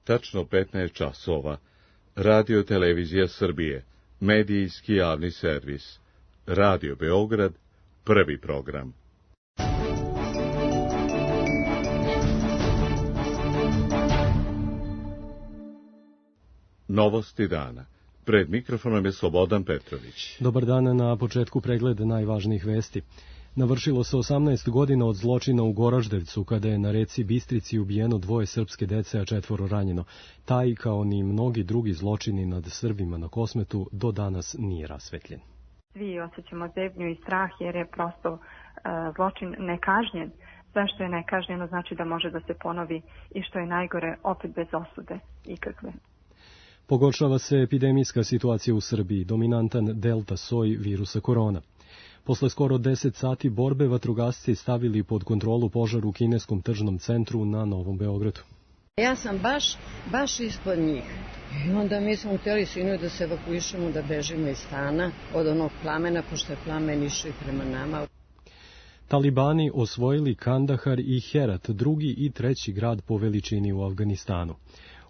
tačno 15 časova. Radio Televizija Srbije, medijski javni servis. Radio Beograd, prvi program. Novosti dana. Pred mikrofonom je Slobodan Petrović. Dobar dan, na početku pregled najvažnijih vesti. Navršilo se 18 godina od zločina u Goraždevcu, kada je na reci Bistrici ubijeno 2 srpske dece, a 4 ranjeno. Taj, kao ni mnogi drugi zločini nad Srbima na Kosmetu, do danas nije rasvetljen. Svi osjećamo zebnju i strah jer je prosto zločin nekažnjen. Sve što je nekažnjeno znači da može da se ponovi i što je najgore, opet bez osude ikakve. Pogoršava se epidemijska situacija u Srbiji, dominantan delta soj virusa korona. Posle skoro 10 sati borbe vatrogasci stavili pod kontrolu požar u kineskom tržnom centru na Novom Beogradu. Ja sam baš ispod njih. I onda mi smo htjeli sinoć da se evakuišemo, da bežimo iz stana od onog plamena, pošto je plamen išao i prema nama. Talibani osvojili Kandahar i Herat, drugi i treći grad po veličini u Afganistanu.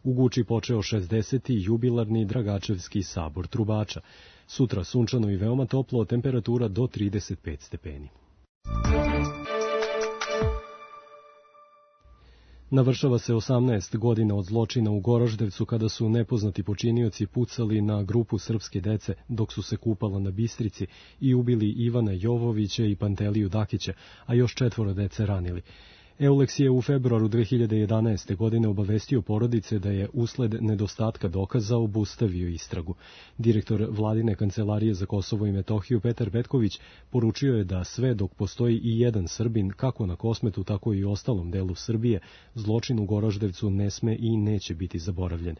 U Guči počeo 60. jubilarni Dragačevski sabor trubača. Sutra sunčano i veoma toplo, temperatura do 35 stepeni. Navršava se 18 godina od zločina u Goraždevcu, kada su nepoznati počinioci pucali na grupu srpske dece dok su se kupala na Bistrici i ubili Ivana Jovovića i Panteliju Dakića, a još 4 dece ranili. Euleks je u februaru 2011. godine obavestio porodice da je usled nedostatka dokaza obustavio istragu. Direktor Vladine kancelarije za Kosovo i Metohiju Petar Petković poručio je da sve dok postoji i jedan Srbin, kako na Kosmetu, tako i u ostalom delu Srbije, zločin u Goraždevcu ne sme i neće biti zaboravljen.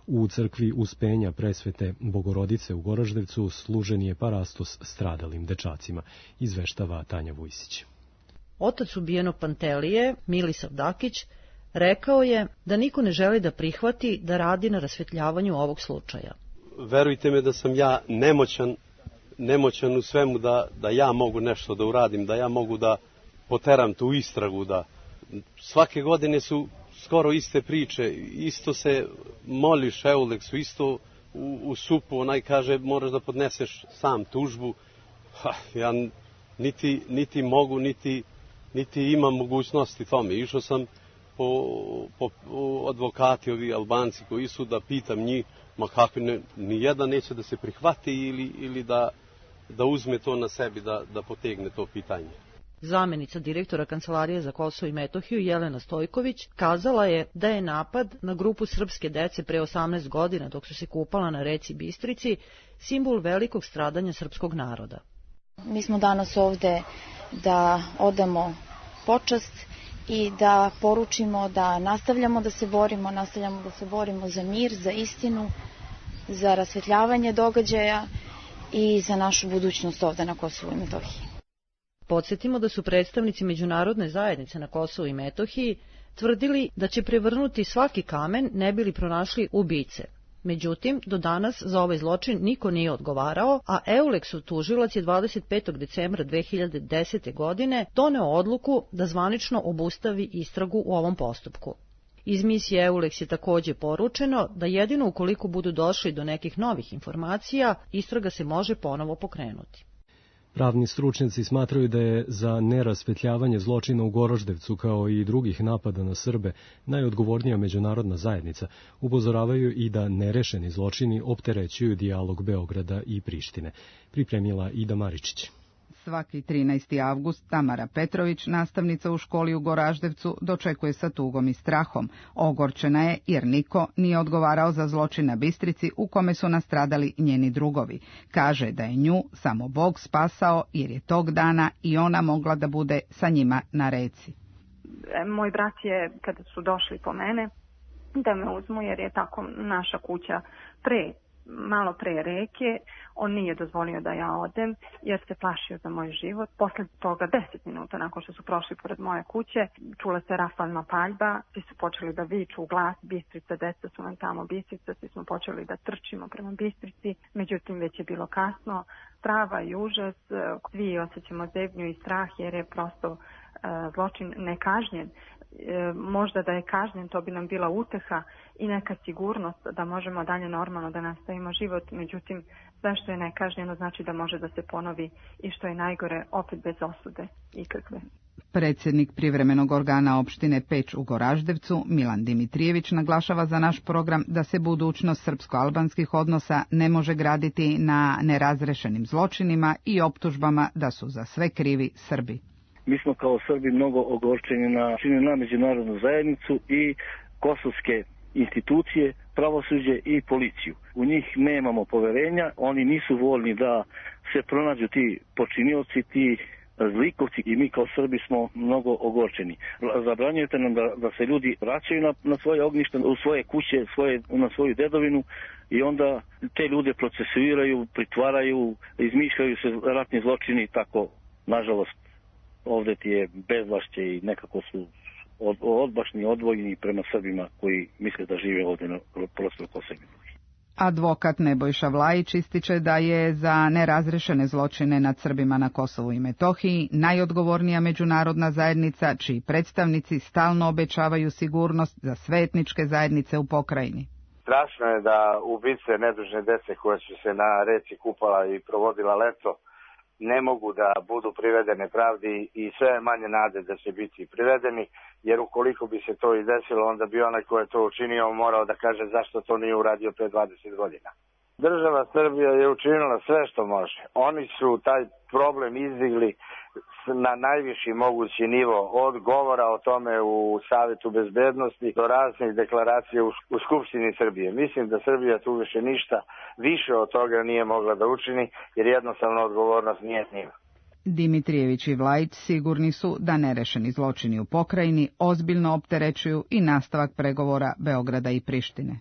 U crkvi Uspenja Presvete Bogorodice u Goraždevcu služen je parastos stradalim dečacima, izveštava Tanja Vujsić. Otac ubijeno Pantelije, Milisav Dakić, rekao je da niko ne želi da prihvati da radi na rasvetljavanju ovog slučaja. Verujte me da sam ja nemoćan u svemu da ja mogu nešto da uradim, da ja mogu da poteram tu istragu. Da svake godine su skoro iste priče, isto se moliš Euleksu, isto u supu, onaj kaže moraš da podneseš sam tužbu. Ja niti mogu, niti imam mogućnosti tome. Išao sam po advokati, ovi Albanci koji su, da pitam njih, ma kakvi, nijedan neće da se prihvati ili da uzme to na sebi, da potegne to pitanje. Zamenica direktora Kancelarije za Kosovo i Metohiju Jelena Stojković kazala je da je napad na grupu srpske dece pre 18 godina dok su se kupala na reci Bistrici simbol velikog stradanja srpskog naroda. Mi smo danas ovde da odamo počast i da poručimo da nastavljamo da se borimo za mir, za istinu, za rasvetljavanje događaja i za našu budućnost ovde na Kosovu i Metohiji. Podsjetimo da su predstavnici međunarodne zajednice na Kosovu i Metohiji tvrdili da će prevrnuti svaki kamen ne bili pronašli ubice. Međutim, do danas za ovaj zločin niko nije odgovarao, a Euleksov tužilac je 25. decembra 2010. godine doneo odluku da zvanično obustavi istragu u ovom postupku. Iz misije Euleks je takođe poručeno da jedino ukoliko budu došli do nekih novih informacija, istraga se može ponovo pokrenuti. Pravni stručnjaci smatraju da je za nerasvetljavanje zločina u Goraždevcu kao i drugih napada na Srbe najodgovornija međunarodna zajednica. Upozoravaju i da nerešeni zločini opterećuju dijalog Beograda i Prištine. Pripremila Ida Maričić. Svaki 13. avgust Tamara Petrović, nastavnica u školi u Goraždevcu, dočekuje sa tugom i strahom. Ogorčena je jer niko nije odgovarao za zločin na Bistrici u kome su nastradali njeni drugovi. Kaže da je nju samo Bog spasao jer je tog dana i ona mogla da bude sa njima na reci. Moj brat je, kada su došli po mene, da me uzmu jer je tako naša kuća malo pre reke, on nije dozvolio da ja odem jer se plašio za moj život. Posle toga 10 minuta nakon što su prošli pored moje kuće, čula se rafalna paljba, svi su počeli da viču u glas, Bistrica, deca su nam tamo, Bistrica, svi smo počeli da trčimo prema Bistrici, međutim već je bilo kasno, strava i užas, svi osjećamo zebnju i strah jer je prosto zločin nekažnjen. možda da je kažnjen, to bi nam bila uteha i neka sigurnost da možemo dalje normalno da nastavimo život. Međutim, sve što je nekažnjeno znači da može da se ponovi i što je najgore, opet bez osude ikakve. Predsjednik privremenog organa opštine Peć u Goraždevcu, Milan Dimitrijević, naglašava za naš program da se budućnost srpsko-albanskih odnosa ne može graditi na nerazrešenim zločinima i optužbama da su za sve krivi Srbi. Mi smo kao Srbi mnogo ogorčeni na međunarodnu zajednicu i kosovske institucije, pravosuđe i policiju. U njih nemamo poverenja, oni nisu voljni da se pronađu ti počinioci, ti zlikovci i mi kao Srbi smo mnogo ogorčeni. Zabranjujete nam da se ljudi vraćaju na svoje ognjište, u svoje kuće, na svoju dedovinu i onda te ljude procesuiraju, pritvaraju, izmišljaju se ratni zločini i tako, nažalost, ovdje ti je bezvlašće i nekako su odbačni, odvojeni prema Srbima koji misle da žive ovdje na prostoru Kosova i Metohije. Advokat Nebojša Vlajić ističe da je za nerazrešene zločine nad Srbima na Kosovu i Metohiji najodgovornija međunarodna zajednica, čiji predstavnici stalno obećavaju sigurnost za sve etničke zajednice u pokrajini. Strašno je da ubice nedužne dece koje su se na reci kupala i provodila leto ne mogu da budu privedene pravdi i sve je manje nade da će biti privedeni, jer ukoliko bi se to i desilo, onda bi onaj ko je to učinio morao da kaže zašto to nije uradio pre 20 godina. Država Srbija je učinila sve što može. Oni su taj problem izdigli na najviši mogući nivo, od govora o tome u Savetu bezbednosti do raznih deklaracija u Skupštini Srbije. Mislim da Srbija tu više ništa više od toga nije mogla da učini, jer jednostavno odgovornost nije s njima. Dimitrijević i Vlajić sigurni su da nerešeni zločini u pokrajini ozbiljno opterećuju i nastavak pregovora Beograda i Prištine.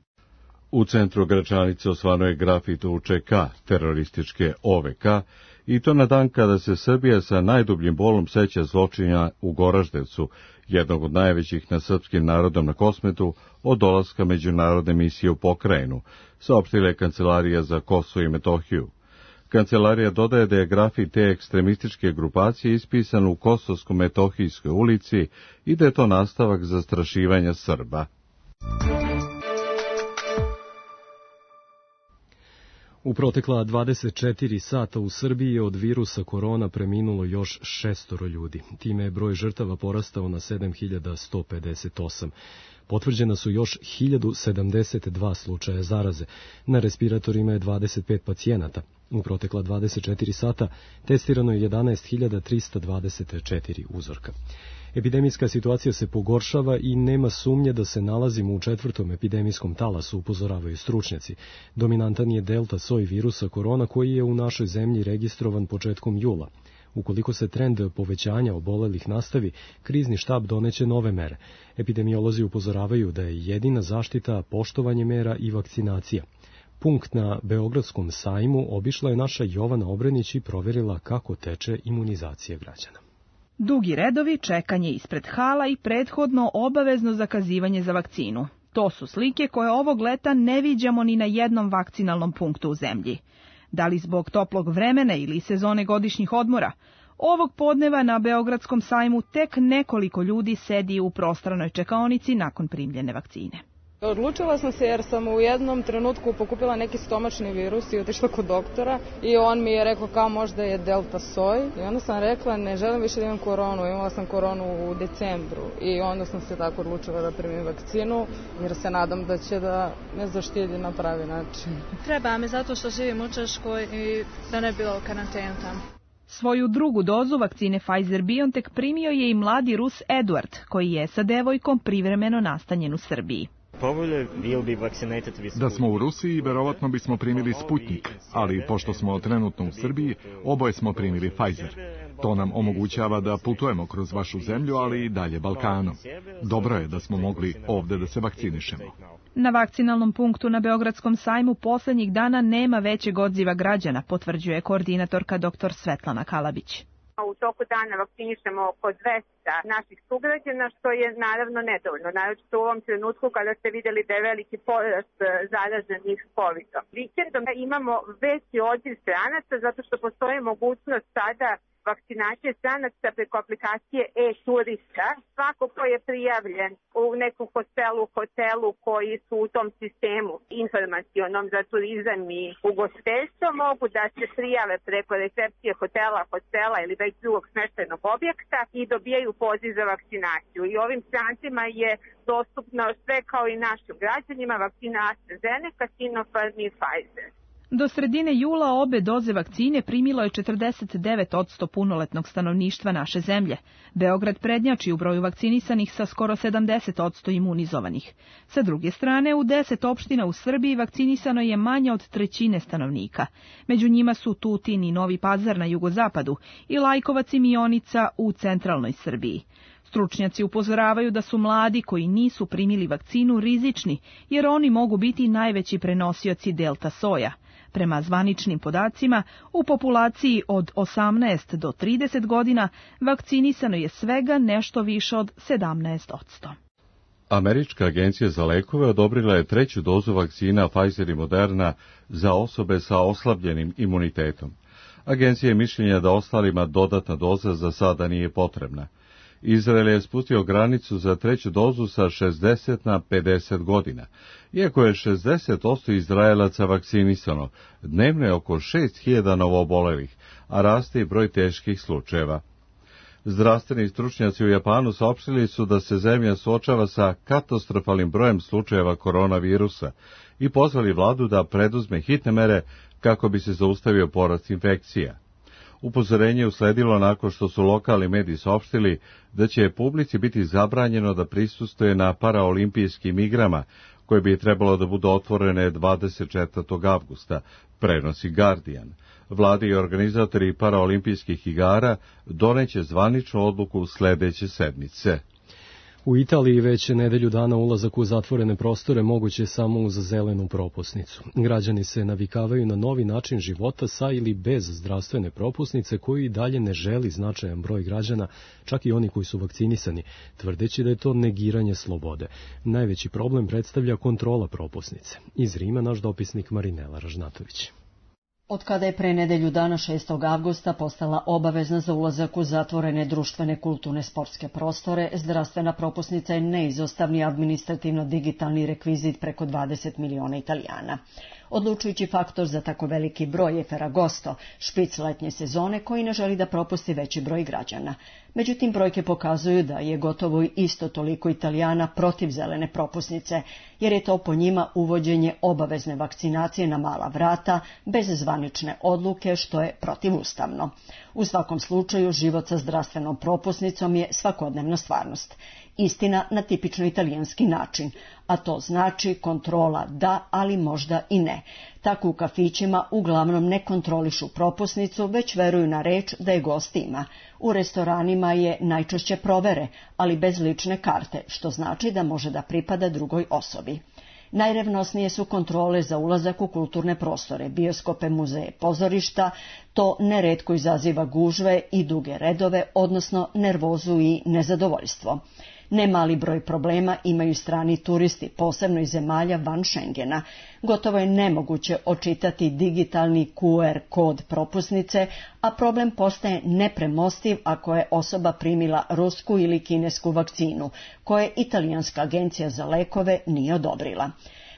U centru Gračanice osvano je grafit UČK, terorističke OVK, i to na dan kada se Srbija sa najdubljim bolom seća zločina u Goraždevcu, jednog od najvećih nad srpskim narodom na Kosmetu, od dolaska međunarodne misije u pokrajinu, saopštila je Kancelarija za Kosovo i Metohiju. Kancelarija dodaje da je grafit te ekstremističke grupacije ispisan u Kosovsko-Metohijskoj ulici i da je to nastavak zastrašivanja Srba. U protekla 24 sata u Srbiji je od virusa korona preminulo još 6 ljudi. Time je broj žrtava porastao na 7158. Potvrđena su još 1072 slučaja zaraze. Na respiratorima je 25 pacijenata. U protekla 24 sata testirano je 11.324 uzorka. Epidemijska situacija se pogoršava i nema sumnje da se nalazimo u 4. epidemijskom talasu, upozoravaju stručnjaci. Dominantan je delta soj virusa korona koji je u našoj zemlji registrovan početkom jula. Ukoliko se trend povećanja obolelih nastavi, krizni štab doneće nove mere. Epidemiolozi upozoravaju da je jedina zaštita poštovanje mera i vakcinacija. Punkt na Beogradskom sajmu obišla je naša Jovana Obrenić i proverila kako teče imunizacija građana. Dugi redovi, čekanje ispred hala i prethodno obavezno zakazivanje za vakcinu. To su slike koje ovog leta ne viđamo ni na jednom vakcinalnom punktu u zemlji. Da li zbog toplog vremena ili sezone godišnjih odmora, ovog podneva na Beogradskom sajmu tek nekoliko ljudi sedi u prostranoj čekaonici nakon primljene vakcine. Odlučila sam se jer sam u jednom trenutku pokupila neki stomačni virus i otišla kod doktora i on mi je rekao kao možda je delta soj i onda sam rekla ne želim više da imam koronu, imala sam koronu u decembru i onda sam se tako odlučila da primim vakcinu jer se nadam da će da me zaštiti na pravi način. Treba mi zato što živim u Češkoj i da ne bilo karantenu tamo. Svoju drugu dozu vakcine Pfizer-BioNTech primio je i mladi Rus Eduard, koji je sa devojkom privremeno nastanjen u Srbiji. Da smo u Rusiji, verovatno bismo primili Sputnik, ali pošto smo trenutno u Srbiji, oboje smo primili Pfizer. To nam omogućava da putujemo kroz vašu zemlju, ali i dalje Balkanom. Dobro je da smo mogli ovde da se vakcinišemo. Na vakcinalnom punktu na Beogradskom sajmu poslednjih dana nema većeg odziva građana, potvrđuje koordinatorka dr. Svetlana Kalabić. U toku dana vakcinišemo oko 200 naših sugrađana, što je naravno nedovoljno, naročito u ovom trenutku kada ste vidjeli da je veliki porast zaraženih COVID-om. Vikendom imamo veći odziv stranaca zato što postoji mogućnost sada vakcinacije stranaca preko aplikacije e-turista. Svako ko je prijavljen u nekom hotelu koji su u tom sistemu informacionom za turizam i ugostiteljstvo mogu da se prijave preko recepcije hostela ili već drugog smeštajnog objekta i dobijaju poziv za vakcinaciju. I ovim strancima je dostupno sve kao i našim građanima vakcina AstraZeneca, Sinopharm i Pfizer. Do sredine jula obe doze vakcine primilo je 49% punoletnog stanovništva naše zemlje. Beograd prednjači u broju vakcinisanih sa skoro 70% imunizovanih. Sa druge strane, u 10 opština u Srbiji vakcinisano je manje od trećine stanovnika. Među njima su Tutin i Novi Pazar na jugozapadu i Lajkovac i Mionica u centralnoj Srbiji. Stručnjaci upozoravaju da su mladi koji nisu primili vakcinu rizični, jer oni mogu biti najveći prenosioci delta soja. Prema zvaničnim podacima, u populaciji od 18 do 30 godina vakcinisano je svega nešto više od 17%. Američka agencija za lekove odobrila je treću dozu vakcina Pfizer i Moderna za osobe sa oslabljenim imunitetom. Agencija je mišljenja da ostalima dodatna doza za sada nije potrebna. Izrael je spustio granicu za treću dozu sa 60 na 50 godina. Iako je 60% Izraelaca vakcinisano, dnevno je oko 6000 novoobolelih, a raste i broj teških slučajeva. Zdravstveni stručnjaci u Japanu saopštili su da se zemlja suočava sa katastrofalnim brojem slučajeva koronavirusa i pozvali vladu da preduzme hitne mere kako bi se zaustavio porast infekcija. Upozorenje usledilo nakon što su lokalni mediji saopštili da će publici biti zabranjeno da prisustvuje na paraolimpijskim igrama, koje bi trebalo da budu otvorene 24. avgusta, prenosi Guardian. Vlade i organizatori paraolimpijskih igara doneće zvaničnu odluku sledeće sedmice. U Italiji već nedelju dana ulazak u zatvorene prostore moguće samo uz zelenu propusnicu. Građani se navikavaju na novi način života sa ili bez zdravstvene propusnice koju i dalje ne želi značajan broj građana, čak i oni koji su vakcinisani, tvrdeći da je to negiranje slobode. Najveći problem predstavlja kontrola propusnice. Iz Rima naš dopisnik Marinela Ražnatović. Od kada je pre nedelju dana 6. avgusta postala obavezna za ulazak u zatvorene društvene, kulturne, sportske prostore, zdravstvena propusnica je neizostavni administrativno-digitalni rekvizit preko 20 miliona Italijana. Odlučujući faktor za tako veliki broj je Ferragosto, špic letnje sezone koji ne želi da propusti veći broj građana. Međutim, brojke pokazuju da je gotovo isto toliko Italijana protiv zelene propusnice, jer je to po njima uvođenje obavezne vakcinacije na mala vrata, bez zvanične odluke, što je protivustavno. U svakom slučaju, život sa zdravstvenom propusnicom je svakodnevna stvarnost. Istina na tipično italijanski način, a to znači kontrola da, ali možda i ne. Tako u kafićima uglavnom ne kontrolišu propusnicu, već veruju na reč da je gost ima. U restoranima je najčešće provere, ali bez lične karte, što znači da može da pripada drugoj osobi. Najrevnosnije su kontrole za ulazak u kulturne prostore, bioskope, muzeje, pozorišta. To neretko izaziva gužve i duge redove, odnosno nervozu i nezadovoljstvo. Nemali broj problema imaju strani turisti, posebno iz zemalja van Schengena. Gotovo je nemoguće očitati digitalni QR kod propusnice, a problem postaje nepremostiv ako je osoba primila rusku ili kinesku vakcinu, koje italijanska agencija za lekove nije odobrila.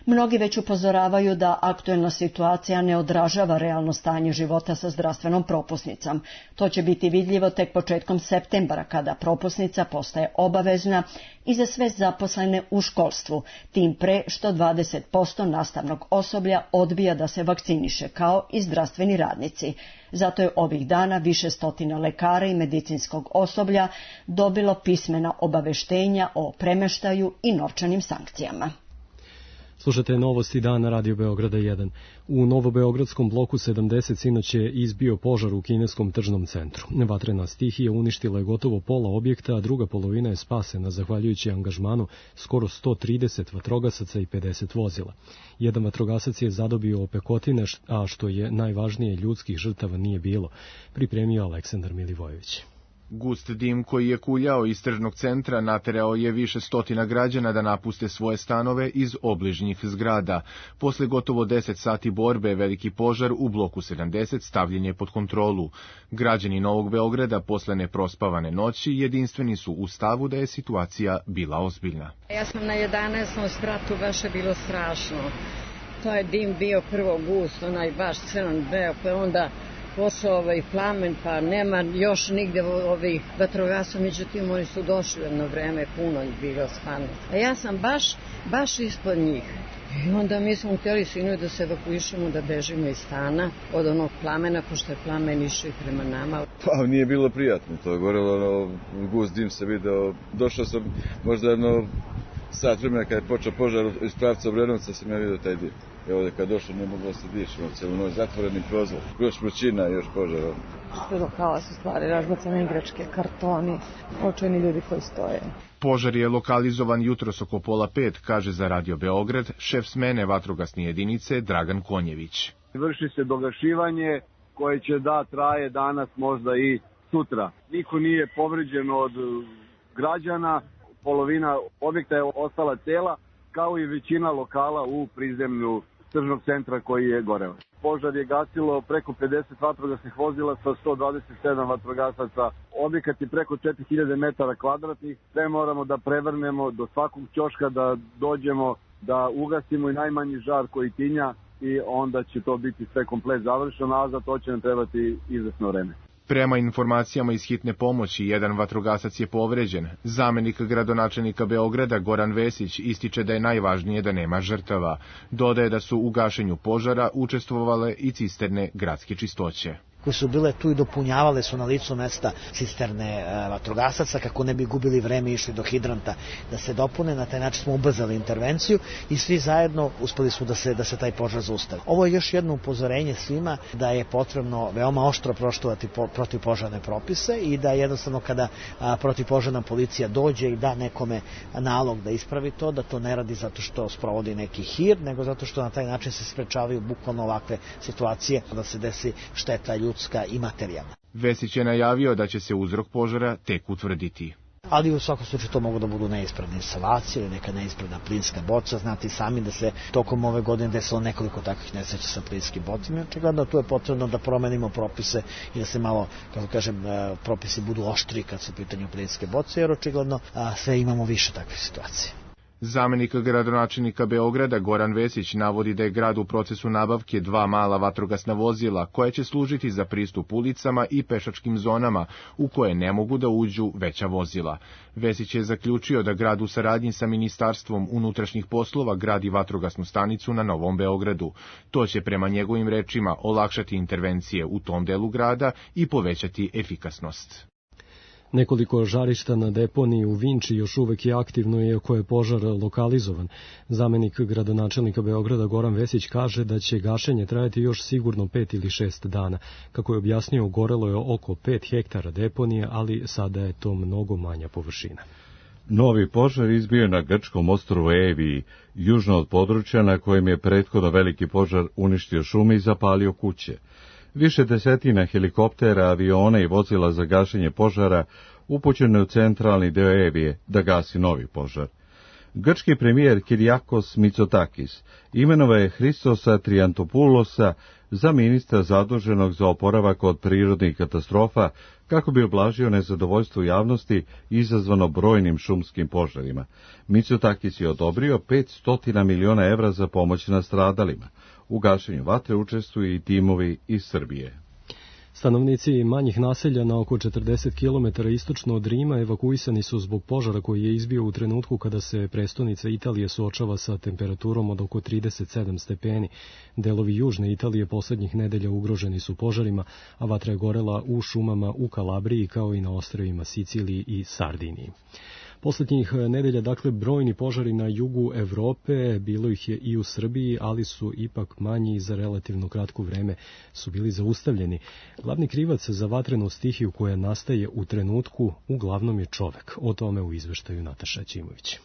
Mnogi već upozoravaju da aktuelna situacija ne odražava realno stanje života sa zdravstvenom propusnicom. To će biti vidljivo tek početkom septembra, kada propusnica postaje obavezna i za sve zaposlene u školstvu, tim pre što 20% nastavnog osoblja odbija da se vakciniše, kao i zdravstveni radnici. Zato je ovih dana više stotina lekara i medicinskog osoblja dobilo pismena obaveštenja o premeštaju i novčanim sankcijama. Slušate novosti dana Radio Beograda 1. U Novobeogradskom bloku 70 sinoć je izbio požar u kineskom tržnom centru. Vatrena stihija uništila je gotovo pola objekta, a druga polovina je spasena zahvaljujući angažmanu skoro 130 vatrogasaca i 50 vozila. Jedan vatrogasac je zadobio opekotine, a što je najvažnije, ljudskih žrtava nije bilo, pripremio Aleksandar Milivojević. Gust dim koji je kuljao iz tržnog centra naterao je više stotina građana da napuste svoje stanove iz obližnjih zgrada. Posle gotovo 10 sati borbe, veliki požar u bloku 70 stavljen je pod kontrolu. Građani Novog Beograda posle neprospavane noći jedinstveni su u stavu da je situacija bila ozbiljna. Ja sam na 11. spratu, baš je bilo strašno. To je dim bio prvo gust, onaj baš crven beo, pa onda posao plamen, pa nema još nigde ovih vatrogasaca, međutim oni su došli jedno vreme, puno je bilo stvarno. A ja sam baš ispod njih. I onda mi smo htjeli sinoć da se evakuišemo, da bežimo iz stana od onog plamena, pošto je plamen išao i prema nama. Pa nije bilo prijatno, to je gorelo, gust dim se video. Došao sam možda jedno sat vremena kada je počeo požar iz pravca Obrenovca, sam ja vidio taj dim. I ovdje kad došlo ne moglo se dići, cijelu noć zatvoreni prozor, još vrućina, još požar. Bilo haos u stvari, razbacane igračke, kartoni, očajni ljudi koji stoje. Požar je lokalizovan jutros oko 4:30, kaže za Radio Beograd šef smene vatrogasne jedinice Dragan Konjević. Vrši se dogašivanje koje će traje danas, možda i sutra. Niko nije povređen od građana, polovina objekta je ostala cela, kao i većina lokala u prizemlju tržnog centra koji je goreo. Požar je gasilo preko 50 vatrogasnih vozila sa 127 vatrogasaca. Objekat je preko 4000 metara kvadratnih. Sve moramo da prevrnemo do svakog ćoška, da dođemo, da ugasimo i najmanji žar koji tinja i onda će to biti sve komplet završeno, a za to će nam trebati izvesno vreme. Prema informacijama iz hitne pomoći, jedan vatrogasac je povređen. Zamenik gradonačelnika Beograda Goran Vesić ističe da je najvažnije da nema žrtava. Dodaje da su u gašenju požara učestvovale i cisterne gradske čistoće. koje su bile tu i dopunjavale su na licu mesta cisterne vatrogasaca kako ne bi gubili vreme i išli do hidranta da se dopune. Na taj način smo ubrzali intervenciju i svi zajedno uspeli su da se taj požar zaustavi. Ovo je još jedno upozorenje svima da je potrebno veoma oštro poštovati protivpožarne propise i da jednostavno kada protivpožarna policija dođe i da nekome nalog da ispravi to, da to ne radi zato što sprovodi neki hir, nego zato što na taj način se sprečavaju bukvalno ovakve situacije da se desi šteta ljudska i materijalna. Vesić je najavio da će se uzrok požara tek utvrditi. Ali u svakom slučaju to mogu da budu neispravne instalacije ili neka neispravna plinska boca. Znate i sami da se tokom ove godine desilo nekoliko takvih nesreća sa plinskim bocima. Očigledno tu je potrebno da promenimo propise i da se malo, kako kažem, propisi budu oštri kad su u pitanju plinske boce, jer očigledno sve imamo više takvih situacija. Zamenik gradonačelnika Beograda Goran Vesić navodi da je grad u procesu nabavke 2 mala vatrogasna vozila koja će služiti za pristup ulicama i pešačkim zonama u koje ne mogu da uđu veća vozila. Vesić je zaključio da grad u saradnji sa Ministarstvom unutrašnjih poslova gradi vatrogasnu stanicu na Novom Beogradu. To će prema njegovim rečima olakšati intervencije u tom delu grada i povećati efikasnost. Nekoliko žarišta na deponiji u Vinči još uvek je aktivno iako je požar lokalizovan. Zamenik gradonačelnika Beograda Goran Vesić kaže da će gašenje trajati još sigurno 5 ili 6 dana. Kako je objasnio, gorelo je oko 5 hektara deponije, ali sada je to mnogo manja površina. Novi požar izbio na grčkom ostrvu Eviji, južno od područja na kojem je prethodno veliki požar uništio šume i zapalio kuće. Više desetina helikoptera, aviona i vozila za gašenje požara upućeno je u centralni deo Evije da gasi novi požar. Grčki premijer Kyriakos Mitsotakis imenovao je Hristosa Triantopoulosa za ministra zaduženog za oporavak od prirodnih katastrofa kako bi oblažio nezadovoljstvo javnosti izazvano brojnim šumskim požarima. Mitsotakis je odobrio 500 miliona evra za pomoć nastradalima. U gašenju vatre učestvuju i timovi iz Srbije. Stanovnici manjih naselja na oko 40 km istočno od Rima evakuisani su zbog požara koji je izbio u trenutku kada se prestonica Italije suočava sa temperaturom od oko 37 stepeni. Delovi južne Italije poslednjih nedelja ugroženi su požarima, a vatra je gorela u šumama u Kalabriji kao i na ostrvima Siciliji i Sardiniji. Poslednjih nedelja, dakle, brojni požari na jugu Evrope, bilo ih je i u Srbiji, ali su ipak manji i za relativno kratko vreme su bili zaustavljeni. Glavni krivac za vatrenu stihiju koja nastaje u trenutku uglavnom je čovek. O tome u izveštaju Nataša Ćimović.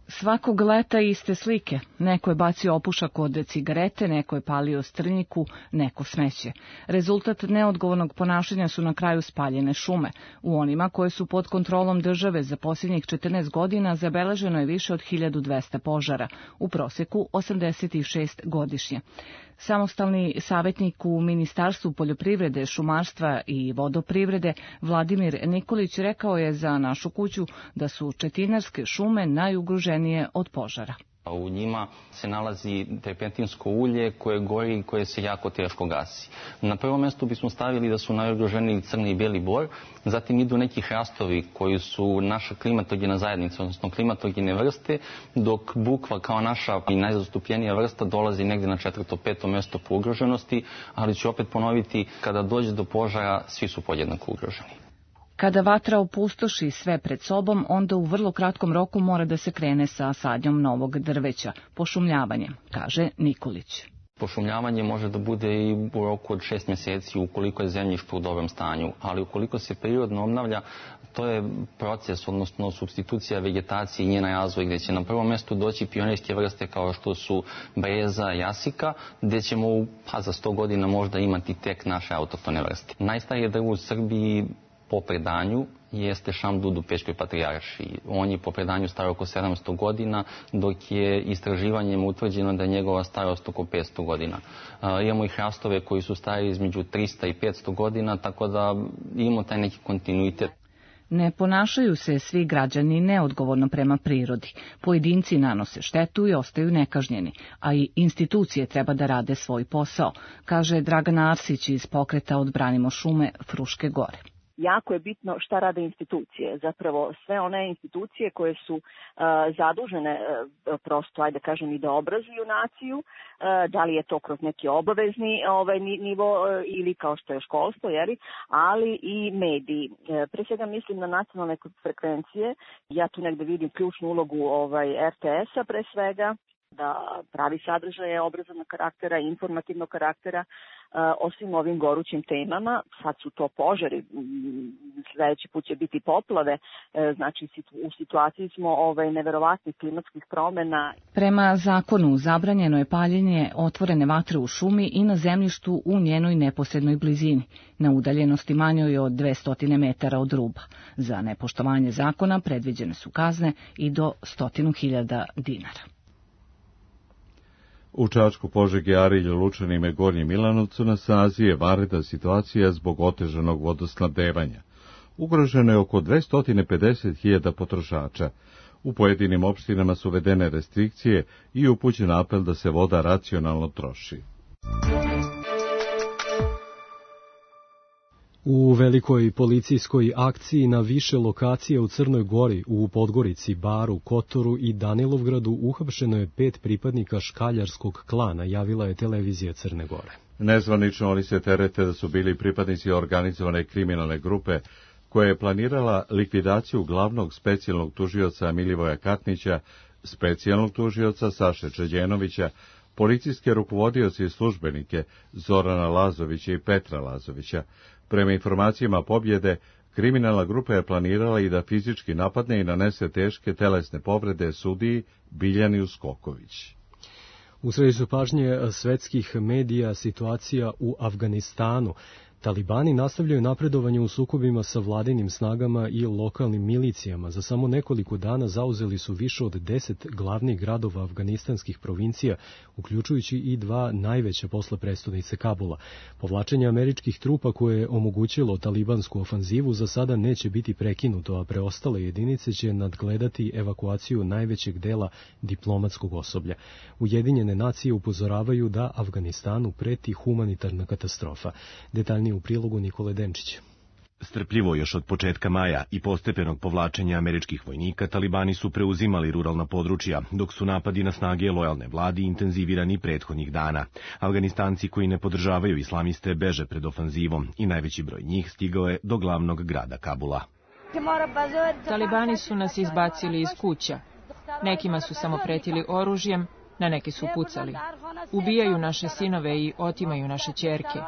Svakog leta iste slike. Neko je bacio opušak od cigarete, neko je palio strnjiku, neko smeće. Rezultat neodgovornog ponašanja su na kraju spaljene šume. U onima koje su pod kontrolom države za posljednjih 14 godina zabeleženo je više od 1200 požara, u proseku 86 godišnje. Samostalni savjetnik u Ministarstvu poljoprivrede, šumarstva i vodoprivrede Vladimir Nikolić rekao je za našu kuću da su četinarske šume najugroženije od požara. U njima se nalazi terpentinsko ulje koje gori i koje se jako teško gasi. Na prvom mjestu bismo stavili da su najugroženiji crni i bijeli bor, zatim idu neki hrastovi koji su naša klimatogena zajednica, odnosno klimatogene vrste, dok bukva kao naša i najzastupljenija vrsta dolazi negdje na 4. 5. mjesto po ugroženosti, ali ću opet ponoviti, kada dođe do požara, svi su podjednako ugroženi. Kada vatra opustoši sve pred sobom, onda u vrlo kratkom roku mora da se krene sa sadnjom novog drveća, pošumljavanjem, kaže Nikolić. Pošumljavanje može da bude i u roku od 6 mjeseci ukoliko je zemljište u dobrom stanju, ali ukoliko se prirodno obnavlja, to je proces, odnosno supstitucija vegetacije i njena razvoj, gdje će na prvom mjestu doći pionirske vrste kao što su breza, jasika, gdje ćemo za 100 godina možda imati tek naše autohtone vrste. Najstarije drvo u Srbiji po predanju jeste šamdud u Pećkoj patrijaršiji. On je po predanju star oko 700 godina, dok je istraživanjem utvrđeno da je njegova starost oko 500 godina. Imamo i hrastove koji su stari između 300 i 500 godina, tako da imamo taj neki kontinuitet. Ne ponašaju se svi građani neodgovorno prema prirodi. Pojedinci nanose štetu i ostaju nekažnjeni, a i institucije treba da rade svoj posao, kaže Dragana Arsić iz pokreta Odbranimo šume Fruške gore. Jako je bitno šta rade institucije, zapravo sve one institucije koje su zadužene prosto, ajde kažem, i da obrazuju naciju, da li je to kroz neki obavezni nivo ili kao što je školstvo, ali i mediji. Pre svega mislim na nacionalne frekvencije, ja tu negde vidim ključnu ulogu RTS-a pre svega, da pravi sadržaje obrazovnog karaktera, informativnog karaktera o svim ovim gorućim temama. Sad su to požari, sljedeći put će biti poplave, znači u situaciji smo neverovatnih klimatskih promjena. Prema zakonu zabranjeno je paljenje otvorene vatre u šumi i na zemljištu u njenoj neposrednoj blizini, na udaljenosti manjoj od 200 metara od ruba. Za nepoštovanje zakona predviđene su kazne i do 100.000 dinara. U Čačku, Požegi, Arilju, Lučanima i Gornjem Milanovcu na snazi je vanredna situacija zbog otežanog vodosnabdevanja. Ugroženo je oko 250.000 potrošača. U pojedinim opštinama su uvedene restrikcije i upućen apel da se voda racionalno troši. U velikoj policijskoj akciji na više lokacija u Crnoj Gori, u Podgorici, Baru, Kotoru i Danilovgradu uhapšeno je 5 pripadnika škaljarskog klana, javila je televizija Crne Gore. Nezvanično oni se terete da su bili pripadnici organizovane kriminalne grupe koja je planirala likvidaciju glavnog specijalnog tužioca Milivoja Katnića, specijalnog tužioca Saše Čeđenovića, policijske rukovodioce i službenike Zorana Lazovića i Petra Lazovića. Prema informacijama Pobjede, kriminalna grupa je planirala i da fizički napadne i nanese teške telesne povrede sudiji Biljani Uskoković. U središtu pažnje svetskih medija situacija u Afganistanu. Talibani nastavljaju napredovanje u sukobima sa vladinim snagama i lokalnim milicijama. Za samo nekoliko dana zauzeli su više od 10 glavnih gradova afganistanskih provincija, uključujući i 2 najveća posle prestonice Kabula. Povlačenje američkih trupa koje je omogućilo talibansku ofanzivu za sada neće biti prekinuto, a preostale jedinice će nadgledati evakuaciju najvećeg dela diplomatskog osoblja. Ujedinjene nacije upozoravaju da Afganistanu preti humanitarna katastrofa. Detaljnije u prilogu Nikole Denčića. Strpljivo još od početka maja i postepenog povlačenja američkih vojnika, talibani su preuzimali ruralna područja, dok su napadi na snage lojalne vladi intenzivirani prethodnih dana. Afganistanci koji ne podržavaju islamiste beže pred ofanzivom i najveći broj njih stigao je do glavnog grada Kabula. Talibani su nas izbacili iz kuća. Nekima su samo pretili oružjem, na neke su pucali. Ubijaju naše sinove i otimaju naše ćerke.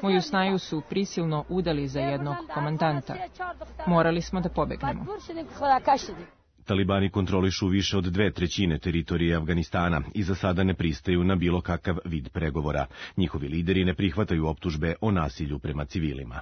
Moju snaju su prisilno udali za jednog komandanta. Morali smo da pobegnemo. Talibani kontrolišu više od 2/3 teritorije Afganistana i za sada ne pristaju na bilo kakav vid pregovora. Njihovi lideri ne prihvataju optužbe o nasilju prema civilima.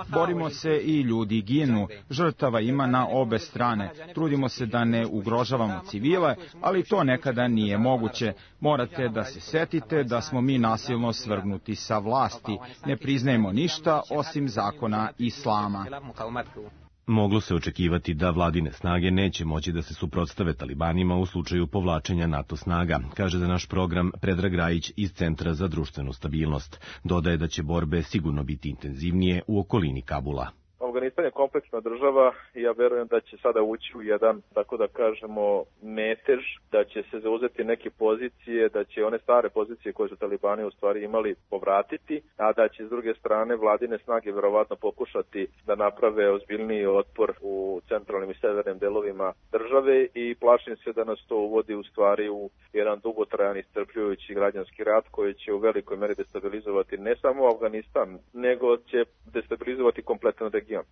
Borimo se i ljudi ginu, žrtava ima na obe strane. Trudimo se da ne ugrožavamo civile, ali to nekada nije moguće. Morate da se setite da smo mi nasilno svrgnuti sa vlasti. Ne priznajemo ništa osim zakona islama. Moglo se očekivati da vladine snage neće moći da se suprotstave Talibanima u slučaju povlačenja NATO snaga, kaže za naš program Predrag Rajić iz Centra za društvenu stabilnost. Dodaje da će borbe sigurno biti intenzivnije u okolini Kabula. Afganistan je kompleksna država i ja verujem da će sada ući u jedan, tako da kažemo, metež, da će se zauzeti neke pozicije, da će one stare pozicije koje su Talibani u stvari imali povratiti, a da će s druge strane vladine snage verovatno pokušati da naprave ozbiljniji otpor u centralnim i severnim delovima države i plašim se da nas to uvodi u stvari u jedan dugotrajan iscrpljujući građanski rat koji će u velikoj meri destabilizovati ne samo Afganistan, nego će destabilizovati kompletan region.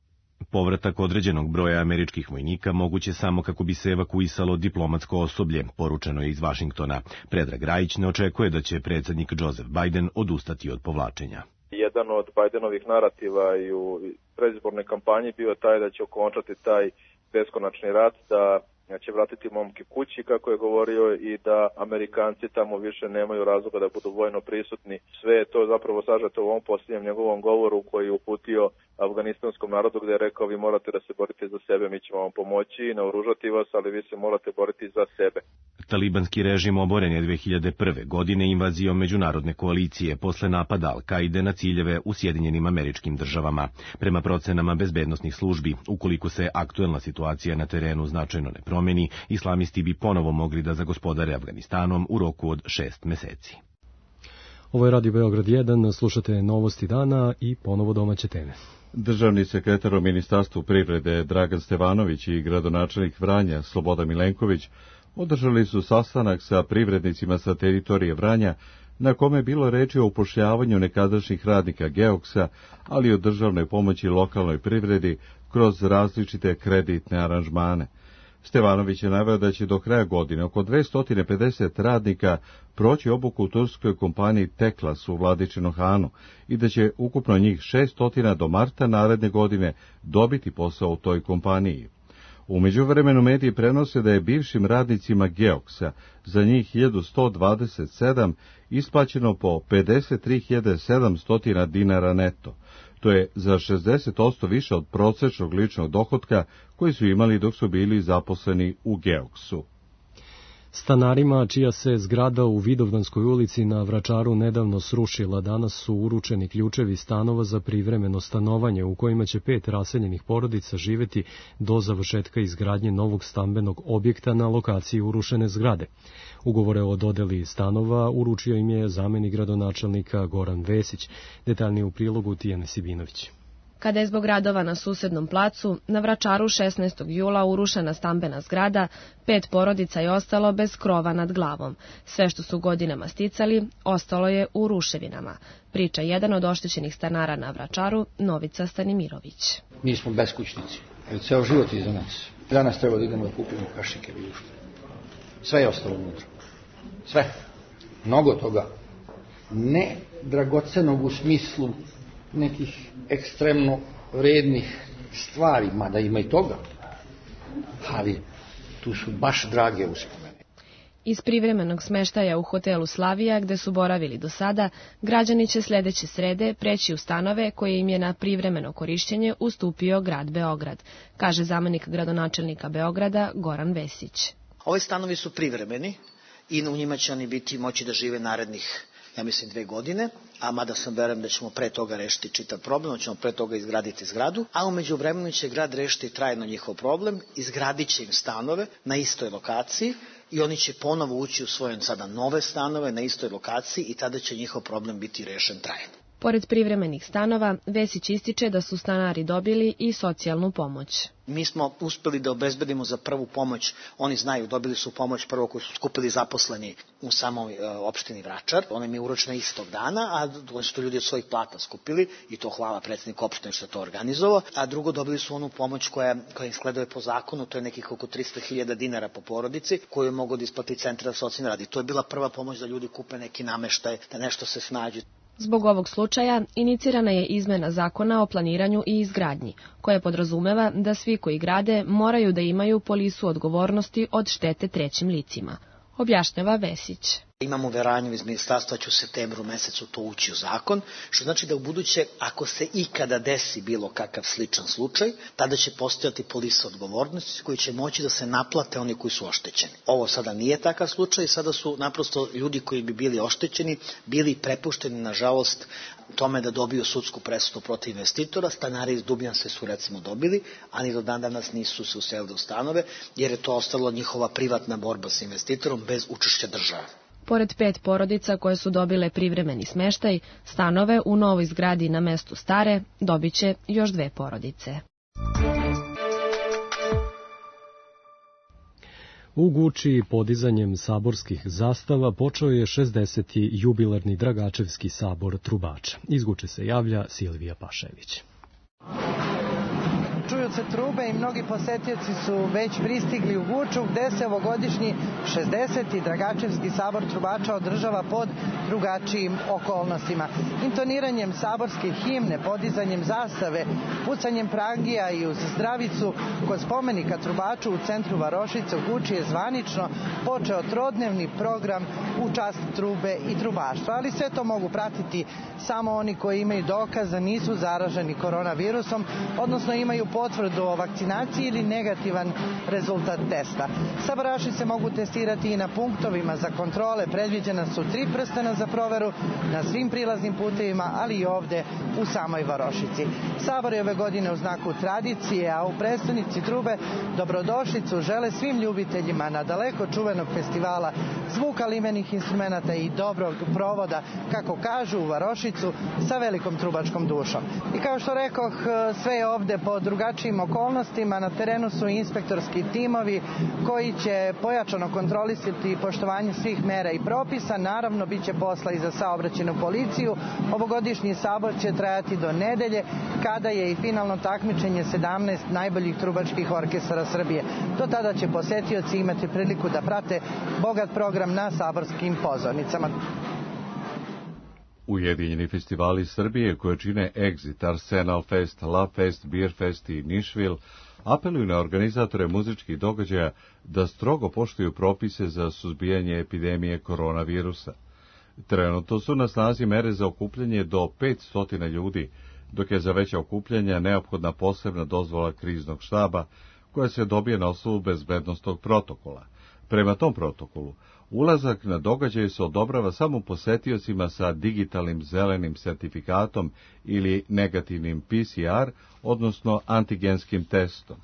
Povratak određenog broja američkih vojnika moguće samo kako bi se evakuisalo diplomatsko osoblje, poručeno je iz Vašingtona. Predrag Rajić ne očekuje da će predsjednik Joseph Biden odustati od povlačenja. Jedan od Bidenovih narativa i u predizbornoj kampanji bio taj da će okončati taj beskonačni rat, da će vratiti momke kući, kako je govorio, i da Amerikanci tamo više nemaju razloga da budu vojno prisutni. Sve je to zapravo sažeto u ovom posljednjem njegovom govoru koji je uputio afganistanskom narodu, gdje je rekao: vi morate da se borite za sebe, mi ćemo vam pomoći i naoružati vas, ali vi se morate boriti za sebe. Talibanski režim oboren je 2001. godine invazijom međunarodne koalicije posle napada Al-Kaide na ciljeve u Sjedinjenim Američkim Državama. Prema procenama bezbednosnih službi, ukoliko se aktuelna situacija na terenu značajno ne promeni, islamisti bi ponovo mogli da zagospodare Afganistanom u roku od 6 meseci. Ovo je Radio Beograd 1, slušate novosti dana i ponovo domaće teme. Državni sekretar u Ministarstvu privrede Dragan Stevanović i gradonačelnik Vranja Slobodan Milenković održali su sastanak sa privrednicima sa teritorije Vranja, na kome je bilo reči o upošljavanju nekadašnjih radnika Geoksa, ali i o državnoj pomoći lokalnoj privredi kroz različite kreditne aranžmane. Stevanović je naveo da će do kraja godine oko 250 radnika proći obuku u turskoj kompaniji Teklas u Vladičinom Hanu i da će ukupno njih 600 do marta naredne godine dobiti posao u toj kompaniji. U međuvremenu mediji prenose da je bivšim radnicima Geoksa za njih 1127 isplaćeno po 53.700 dinara neto. To je za 60% više od prosječnog ličnog dohotka koji su imali dok su bili zaposleni u Geoksu. Stanarima čija se zgrada u Vidovdanskoj ulici na Vračaru nedavno srušila, danas su uručeni ključevi stanova za privremeno stanovanje u kojima će 5 raseljenih porodica živeti do završetka izgradnje novog stambenog objekta na lokaciji urušene zgrade. Ugovore o dodeli stanova uručio im je zamenik gradonačelnika Goran Vesić, detaljnije u prilogu Tijane Sibinović. Kada je zbog radova na susednom placu, na Vračaru 16. jula urušena stambena zgrada, 5 porodica je ostalo bez krova nad glavom. Sve što su godinama sticali, ostalo je u ruševinama, priča jedan od oštećenih stanara na Vračaru, Novica Stanimirović. Mi smo beskućnici, ceo život iza nas. Danas treba da idemo da kupimo kašike i ušte. Sve je ostalo unutra. Sve. Mnogo toga. Ne dragocenog u smislu nekih ekstremno vrednih stvari, mada ima i toga, ali tu su baš drage uspomene. Iz privremenog smeštaja u hotelu Slavija, gde su boravili do sada, građani će sledeće srede preći u stanove koje im je na privremeno korišćenje ustupio grad Beograd, kaže zamenik gradonačelnika Beograda Goran Vesić. Ovi stanovi su privremeni i u njima će oni biti moći da žive narednih, ja mislim, 2 godine, a mada sam verujem da ćemo pre toga rešiti čitav problem, da ćemo pre toga izgraditi zgradu, a umeđu vremenu će grad rešiti trajno njihov problem, izgradit će im stanove na istoj lokaciji i oni će ponovo ući u svoje sada nove stanove na istoj lokaciji i tada će njihov problem biti rešen trajno. Pored privremenih stanova, Vesić ističe da su stanari dobili i socijalnu pomoć. Mi smo uspeli da obezbedimo za prvu pomoć, oni znaju, dobili su pomoć prvo koju su skupili zaposleni u samoj opštini Vračar, ona im je uročena istog dana, a oni su to ljudi od svojih plata skupili i to hvala predsjedniku opštine što je to organizovao, a drugo dobili su onu pomoć koja im sleduje po zakonu, to je nekih oko 300.000 dinara po porodici koju je mogao da isplati Centar za socijalni rad i to je bila prva pomoć da ljudi kupe neki nameštaj, da nešto se snađe. Zbog ovog slučaja inicirana je izmena zakona o planiranju i izgradnji, koja podrazumeva da svi koji grade moraju da imaju polisu odgovornosti od štete trećim licima, objašnjava Vesić. Imamo uveranju iz ministarstva će u septembru mesecu to ući u zakon, što znači da u buduće, ako se ikada desi bilo kakav sličan slučaj, tada će postojati polisa odgovornosti koji će moći da se naplate oni koji su oštećeni. Ovo sada nije takav slučaj, sada su naprosto ljudi koji bi bili oštećeni, bili prepušteni, nažalost, tome da dobiju sudsku presudu protiv investitora. Stanari iz Dubnjanske su recimo dobili, a ni do dan danas nisu se uselili u stanove, jer je to ostalo njihova privatna borba sa investitorom bez učešća države. Pored 5 porodica koje su dobile privremeni smeštaj, stanove u novoj zgradi na mestu stare dobiće još 2 porodice. U Guči podizanjem saborskih zastava počeo je 60. jubilarni Dragačevski sabor trubača. Iz Guče se javlja Silvija Pašević. Čuju se trube i mnogi posetioci su već pristigli u Guču, gde se ovogodišnji 60. Dragačevski sabor trubača održava pod drugačijim okolnostima. Intoniranjem saborske himne, podizanjem zastave, pucanjem prangija i uz zdravicu kod spomenika trubaču u centru Varošice u Guči je zvanično počeo trodnevni program u čast trube i trubaštva. Ali sve to mogu pratiti samo oni koji imaju dokaz da nisu zaraženi koronavirusom, odnosno imaju potvrdu o vakcinaciji ili negativan rezultat testa. Sabaraši se mogu testirati i na punktovima za kontrole. Predviđena su 3 prstena za proveru na svim prilaznim putevima, ali i ovde u samoj Varošici. Sabor je ove godine u znaku tradicije, a u prestonici trube dobrodošlicu žele svim ljubiteljima na daleko čuvenog festivala zvuka limenih instrumenta i dobrog provoda, kako kažu, u Varošicu sa velikom trubačkom dušom. I kao što rekoh, sve je ovde po drugačijim okolnostima. Na terenu su inspektorski timovi koji će pojačano kontrolisati poštovanje svih mera i propisa. Naravno, bit će posla i za saobraćajnu policiju. Ovogodišnji sabor će trajati do nedelje, kada je i finalno takmičenje 17 najboljih trubačkih orkestara Srbije. Do tada će posetioci imati priliku da prate bogat program na saborskim pozornicama. Ujedinjeni festivali Srbije koje čine Exit, Arsenal Fest, Love Fest, Beer Fest i Nišvil apeluju na organizatore muzičkih događaja da strogo poštuju propise za suzbijanje epidemije koronavirusa. Trenutno su na snazi mere za okupljanje do 500 ljudi, dok je za veća okupljanja neophodna posebna dozvola kriznog štaba koja se dobije na osnovu bezbednosnog protokola. Prema tom protokolu, ulazak na događaj se odobrava samo posetiocima sa digitalnim zelenim sertifikatom ili negativnim PCR, odnosno antigenskim testom.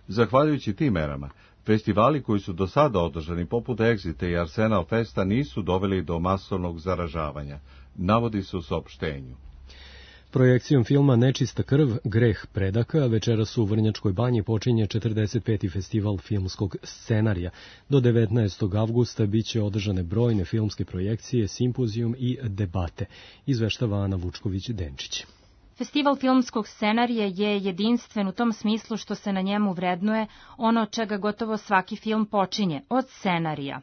Zahvaljujući tim merama, festivali koji su do sada održani poput Exita i Arsenal Festa nisu doveli do masovnog zaražavanja, navodi se u saopštenju. Projekcijom filma Nečista krv, greh predaka, večeras u Vrnjačkoj banji počinje 45. festival filmskog scenarija. Do 19. avgusta biće održane brojne filmske projekcije, simpozijum i debate, izveštava Ana Vučković-Denčić. Festival filmskog scenarija je jedinstven u tom smislu što se na njemu vrednuje ono od čega gotovo svaki film počinje, od scenarija.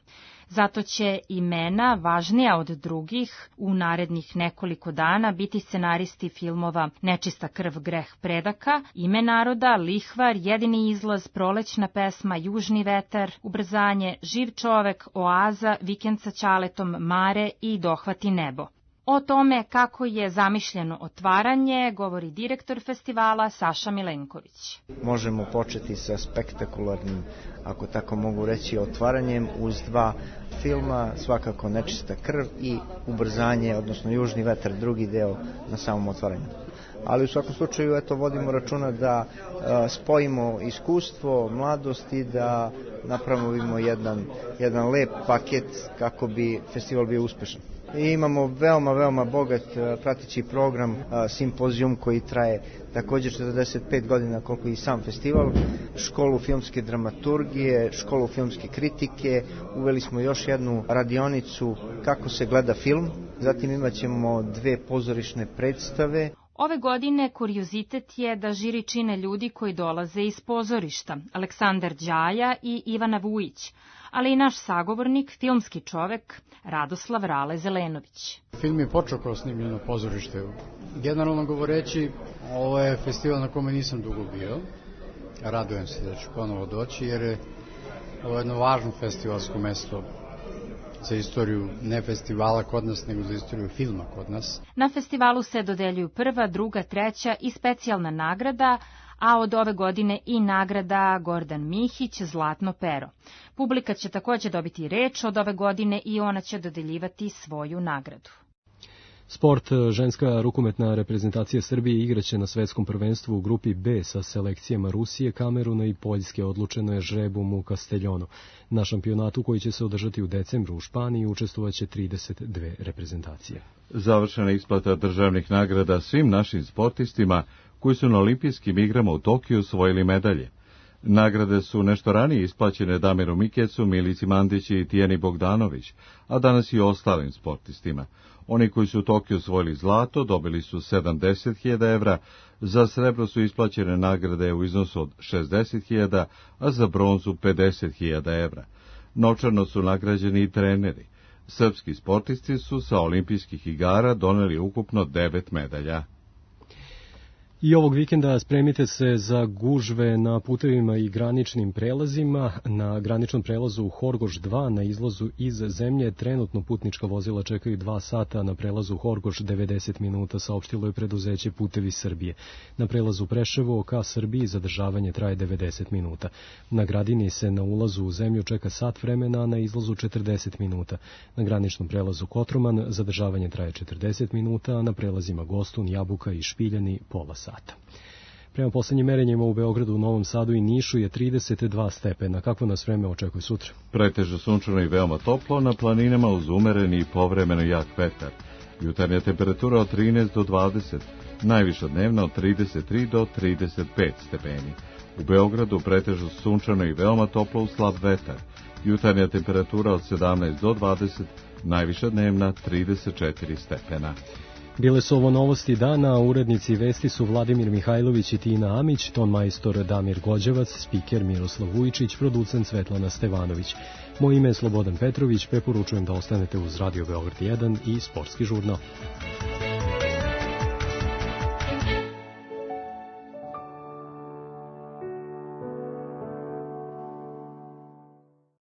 Zato će imena, važnija od drugih, u narednih nekoliko dana biti scenaristi filmova Nečista krv, greh predaka, Ime naroda, Lihvar, Jedini izlaz, Prolećna pesma, Južni vetar, Ubrzanje, Živ čovek, Oaza, Vikend sa Ćaletom, Mare i Dohvati nebo. O tome kako je zamišljeno otvaranje govori direktor festivala Saša Milenković. Možemo početi sa spektakularnim, ako tako mogu reći, otvaranjem uz 2 filma, svakako Nečista krv i Ubrzanje, odnosno Južni vetar, drugi deo na samom otvaranju. Ali u svakom slučaju vodimo računa da spojimo iskustvo, mladost i da napravimo jedan lep paket kako bi festival bio uspešan. i imamo veoma bogat prateći program, simpozijum koji traje također 45 godina koliko i sam festival, školu filmske dramaturgije, školu filmske kritike, uveli smo još jednu radionicu kako se gleda film, zatim imat ćemo 2 pozorišne predstave. Ove godine kuriozitet je da žiri čine ljudi koji dolaze iz pozorišta, Aleksandar Đaja i Ivana Vujić, ali i naš sagovornik, filmski čovek, Radoslav Rale Zelenović. Film je počeo kao snimljeno pozorište. Generalno govoreći, ovo je festival na kome nisam dugo bio. Radujem se da ću ponovo doći, jer je ovo jedno važno festivalsko mesto za istoriju ne festivala kod nas, nego za istoriju filma kod nas. Na festivalu se dodeljuju prva, druga, treća i specijalna nagrada, a od ove godine i nagrada Gordan Mihić, Zlatno pero. Publika će također dobiti reč od ove godine i ona će dodeljivati svoju nagradu. Sport, ženska rukometna reprezentacija Srbije igraće na svetskom prvenstvu u grupi B sa selekcijama Rusije, Kameruna i Poljske. Odlučeno je žrebom u Castellonu. Na šampionatu koji će se održati u decembru u Španiji učestvovaće 32 reprezentacije. Završena isplata državnih nagrada svim našim sportistima koji su na olimpijskim igrama u Tokiju osvojili medalje. Nagrade su nešto ranije isplaćene Damiru Mikecu, Milici Mandići i Tijeni Bogdanović, a danas i ostalim sportistima. Oni koji su u Tokiju osvojili zlato dobili su 70.000 evra, za srebro su isplaćene nagrade u iznosu od 60.000, a za bronzu 50.000 evra. Novčano su nagrađeni i treneri. Srpski sportisti su sa olimpijskih igara doneli ukupno 9 medalja. I ovog vikenda spremite se za gužve na putevima i graničnim prelazima. Na graničnom prelazu u Horgoš 2 na izlazu iz zemlje trenutno putnička vozila čekaju 2 sata, na prelazu Horgoš 90 minuta, saopštilo je preduzeće Putevi Srbije. Na prelazu Preševo ka Srbiji zadržavanje traje 90 minuta. Na Gradini se na ulazu u zemlju čeka sat vremena, a na izlazu 40 minuta. Na graničnom prelazu Kotroman zadržavanje traje 40 minuta, a na prelazima Gostun, Jabuka i Špiljani pola sata. Prema poslednjim merenjima u Beogradu, Novom Sadu i Nišu je 32 stepena. Kakvo nas vreme očekuje sutra? Pretežno sunčano i veoma toplo, na planinama uz umereni i povremeno jak vetar. Jutarnja temperatura od 13 do 20, najviša dnevna od 33 do 35 stepeni. U Beogradu pretežno sunčano i veoma toplo uz slab vetar. Jutarnja temperatura od 17 do 20, najviša dnevna 34 stepena. Bile su ovo novosti dana, urednici vesti su Vladimir Mihajlović i Tina Amić, ton majstor Damir Gođevac, spiker Miroslav Vujčić, producent Svetlana Stevanović. Moje ime je Slobodan Petrović, preporučujem da ostanete uz Radio Beograd 1 i Sportski žurnal.